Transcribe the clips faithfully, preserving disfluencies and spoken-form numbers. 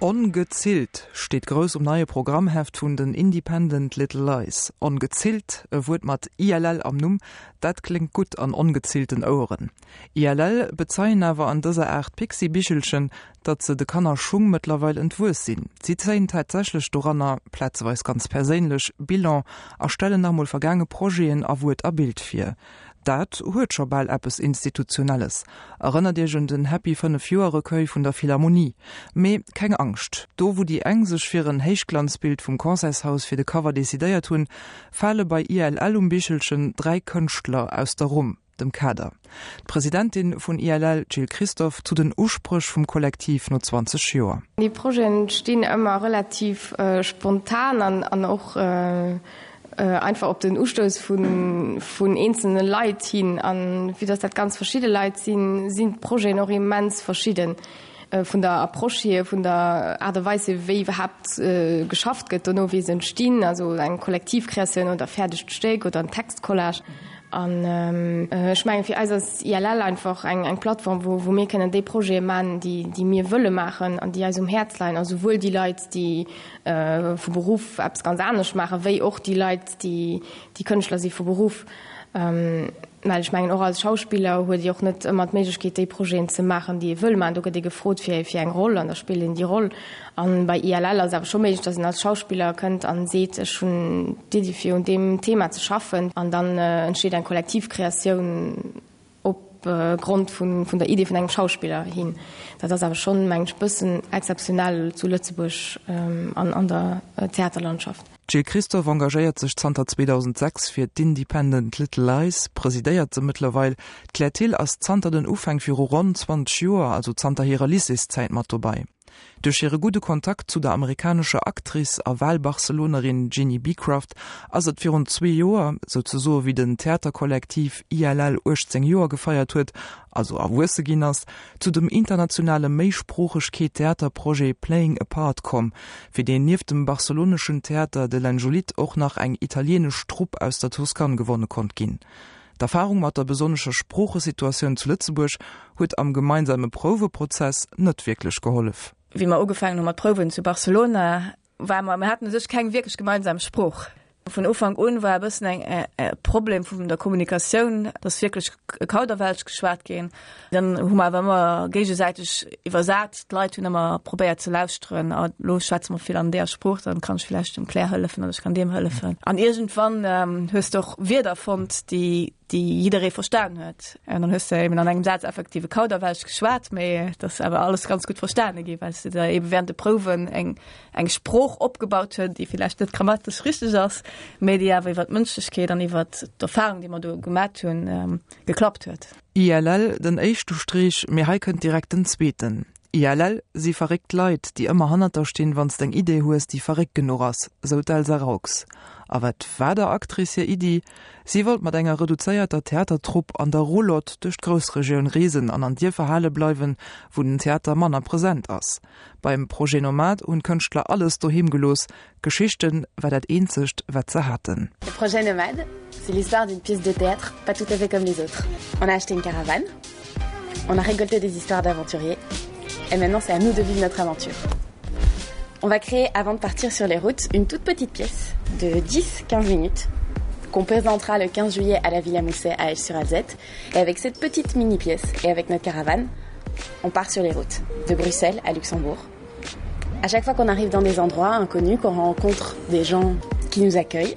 Ongezillt steet grouss um neie Programmheft vun den Independent Little Lies. Ongezillt, e Wuert mat ILL am Numm, dat kléngt gutt an ongezillten Oueren. ILL bezeien awer an dëser Aart Pixi-Bichelchen, datt se de Kannerschung mëttlerweil entwuess sinn. Si zéien tatsächlech doranner, plazeweis ganz perséinlech, Bilan a stellen nach emol vergaange Projeten a Wuert a Bild vir. Dat huet scho bal eppes Institutionelles. Erënnert Iech un den Happy fënnef Joer Recueil vun der Philharmonie. Mee keng Angscht, do wou déi eng sech fir en Héichglanzbild vum Concertshaus fir de Cover decidéiert hunn, fale bei ILL um Bichelchen dräi Kënschtler aus der Rumm, dem Kader. D'Presidentin vun ILL, d'Jill Christophe, zu den Uspréch vum Kollektiv no zwanzeg Joer. Déi Projeten entstinn ëmmer relativ spontan an och einfach op den Ustouss vun, vun eenzelne Leit hin. An vue dass dat ganz verschidde Leit sinn, sinn d'Projeten och immens verschidden vun der Approche hier, vun der Aart a Weis hier, wéi iwwerhaapt geschafft gëtt dono, wéi se entstinn, also eng Kollektivkreatioun oder e fäerdegt Stéck oder en Textcollage. An ech mengen, fir eis ass I L L einfach eng, eng Plattform, wou, wou mir kënnen déi Projete maachen, déi, déi mir wëlle maachen an déi eis um Häerz leien. A souwuel déi Leit, déi vu Beruff eppes ganz anescht maachen, wéi och déi Leit, déi, déi Kënschtler si vu Beruff. Well ech mengen, och als Schauspiller huet ee och net ëmmer d'Méiglechkeet, déi Projeten ze maachen, déi ee wëll maachen. Do gëtt ee gefrot fir, fir eng Roll an da spillt een déi Roll. An bei I L L ass et awer scho méiglech, datt een als Schauspiller kënnt an seet, ech hunn d'Iddi fir un deem Thema ze schaffen. An dann entsteet eng kollektiv Kreatioun op Grond vun, vun der Idee vun engem Schauspiller hin. Dat ass awer schonn, mengen ech, e bëssen exzeptionell zu Lëtzebuerg an an der Theaterlandschaft. D'Jill Christophe engagéiert sech zanter zweedausendsechs fir d'Independent Little Lies, presidéiert se mëttlerweil. D'Claire Thill ass zanter den Ufäng viru ronn zwanzeg Joer, also zanter hirer Lycéeszäit mat dobei. Duerch hire gudde Kontakt zu der amerikanescher Actrice a Wahlbarcelonerin Ginny Beecroft ass et virun zwee Joer, souzesoe wéi den Theaterkollektiv I L L uechtzéng Joer gefeiert huet, also erwuesse ginn ass, zu dem internationale Méisproochegkeet-Theaterprojet Playing a Part komm, fir deen nieft dem barceloneschen Theater de l'Anjolit och nach eng italieenesch Trupp aus der Toscane gewonne konnt ginn. D'Erfarung mat der besonnescher Sproochesituatioun zu Lëtzebuerg huet am gemeinsame Prouweprozess net wierklech gehollef. Wéi mer ugefaangen hu mat prouwen zu Barcelona, war mer, mir haten u sech keng wierklech gemeinsam Sprooch. Vun Ufank un war e bëssen eng e Problem vun der Kommunikatioun, dass wierklech Kauderwelsch geschwat ginn. Dann hu mer awer ëmmer géigesäiteg iwwersat, d'Leit hunn ëmmer probéiert ze lauschteren, a lo schwätze mer vill an deeër Sprooch, dann kann ech vläicht dem Claire hëllefen oder ech kann deem hëllefen. An iergendwann hues de och Wierder fonnt, déi déi jidderee verstan huet. An dann hues de eben an engem Saz effektiv e Kauderwelsch geschwat, mee et ass awer alles ganz gutt verstane gi, well s de da eben während de Prouwen eng eng Sprooch opgebaut huet, déi villäicht net grammatesch richteg ass, mee déi awer iwwer d'Mënschlechkeet an iwwer d'Erfahrung, déi mer do gemat hunn, geklappt huet. I L L, den éischte Streech, mee hei kënnt direkt den zweeten. I L L si verréckt Leit, déi ëmmer hannert der stinn, wann s d'eng Idee hues, déi verréckt genuch ass, sou d'Elsa Raux. A wat war der Actrice hir Iddi? Si wollt mat enger reduzéierter Theatertrupp an der Roulotte duerch d'Groussregioun reesen an an Dierfer hale bleiwen, wou den Theater manner present ass. Beim Projet Nomade hunn d'Kënschtler alles doheem gelooss, Geschichten war dat eenzegt, wat se haten. Le projet Nomade, c'est l'histoire d'une pièce de théâtre pas tout à fait comme les autres. On a acheté une caravane, on a récolté des histoires d'aventuriers, et maintenant c'est à nous de vivre notre aventure. On va créer, avant de partir sur les routes, une toute petite pièce de dix quinze minutes qu'on présentera le quinze juillet à la Villa Mousset à Esch-sur-Alzette. Et avec cette petite mini-pièce et avec notre caravane, on part sur les routes, de Bruxelles à Luxembourg. À chaque fois qu'on arrive dans des endroits inconnus, qu'on rencontre des gens qui nous accueillent,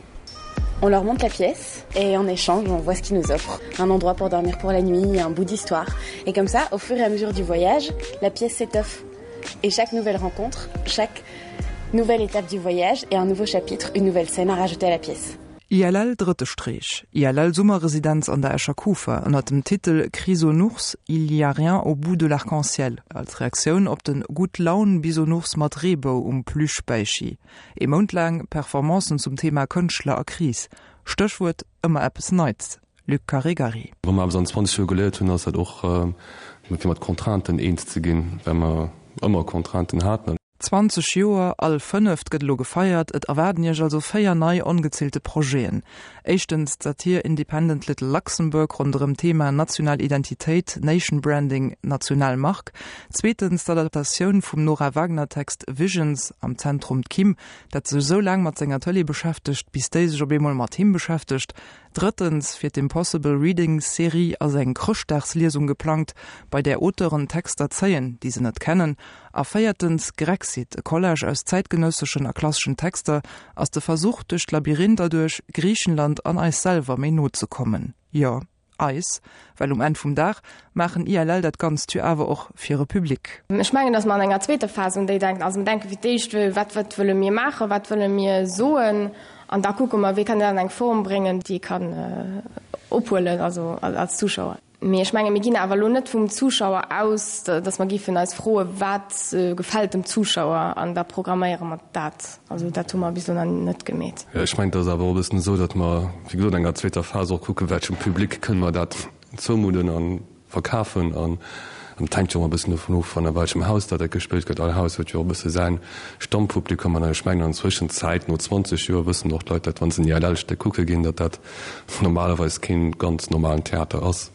on leur montre la pièce et en échange, on voit ce qu'ils nous offrent. Un endroit pour dormir pour la nuit, un bout d'histoire. Et comme ça, au fur et à mesure du voyage, la pièce s'étoffe. Et chaque nouvelle rencontre, chaque nouvelle étape du voyage est un nouveau chapitre, une nouvelle scène à rajouter à la pièce. I L L drëtte Streech, I L L Summerresidenz an der Escher Kufa ënner dem Titel Chrysonours, il y a rien au bout de l'arc-en-ciel als Reaktioun op den Gutt-Laun-Bisounours mat Reebou um Plüschbäichi. Ee Mount laang Performancen zum Thema Kënschtler a Kris. Stéchwuert, ëmmer eppes Neits. Luc Caregari. Wa mer eppes an zwanzeg Joer geléiert hunn, ass dat och, fir mat Contrainten eens ze ginn, well mer ëmmer Contrainten haten. zwanzeg Joer, all fënneft gëtt elo gefeiert, et erwaarden Iech also véier nei ongezillte Projeten. Éischtens d'Satir Independent Little Luxembourg ronderëm d'Thema national Identitéit, Nation Branding, national Mark. Zweetens d'Adaptatioun vum Nora Wagner Text Visions, am Zentrum d'Kim, dat sech esou laang mat senger Tëlee beschäftegt, bis déi sech op eemol mat him beschäftegt. Drëttens, fir d'Impossible Readings Serie ass eng Chrëschtdagsliesung geplangt, bei där Auteuren Texter zéien, déi se net kennen. A véiertens, Grexit, e Collage aus zäitgenësseschen a klasseschen Texter, ass de Versuch, duerch d'Labyrinther duerch Griichenland an eis selwer méi no ze kommen. Jo, eis, well um Enn vum Dag maachen I L L dat Ganzt jo awer och fir e Public. Ech mengen, datt mer an enger zweeter Phas un déi denken. Also mir denke fir d'éischt, wat wat wëlle mir maachen, wat wëlle mir soen, an da kucke mer, wéi kann een dat an eng Form bréngen, déi ee kann ophuelen, also als Zuschauer. Mee ech menge mir ginn awer elo net vum Zuschauer aus, datt mer géifen eis froen, wat gefält dem Zuschauer an da programméiere mer dat. Also dat hu mer bis elo nach net gemeet. Jo, ech mengen, et ass awer och e bëssen esou, datt mer, wéi gesot, an enger zweeter Phas och kucken, welchem Public kënne mer dat zoumudden a verkafen. An et hänkt jo och e bëssen dovun of, an welchem Haus dat dat gespillt gëtt. All Haus huet jo och e bësse säin Stammpublikum. An ech mengen, an Zwëschenzäit, no zwanzeg Joer, wëssen och d'Leit, datt wa se en I L L-Stéck kucke ginn, datt dat normalerweis kee ganz normalen Theater ass.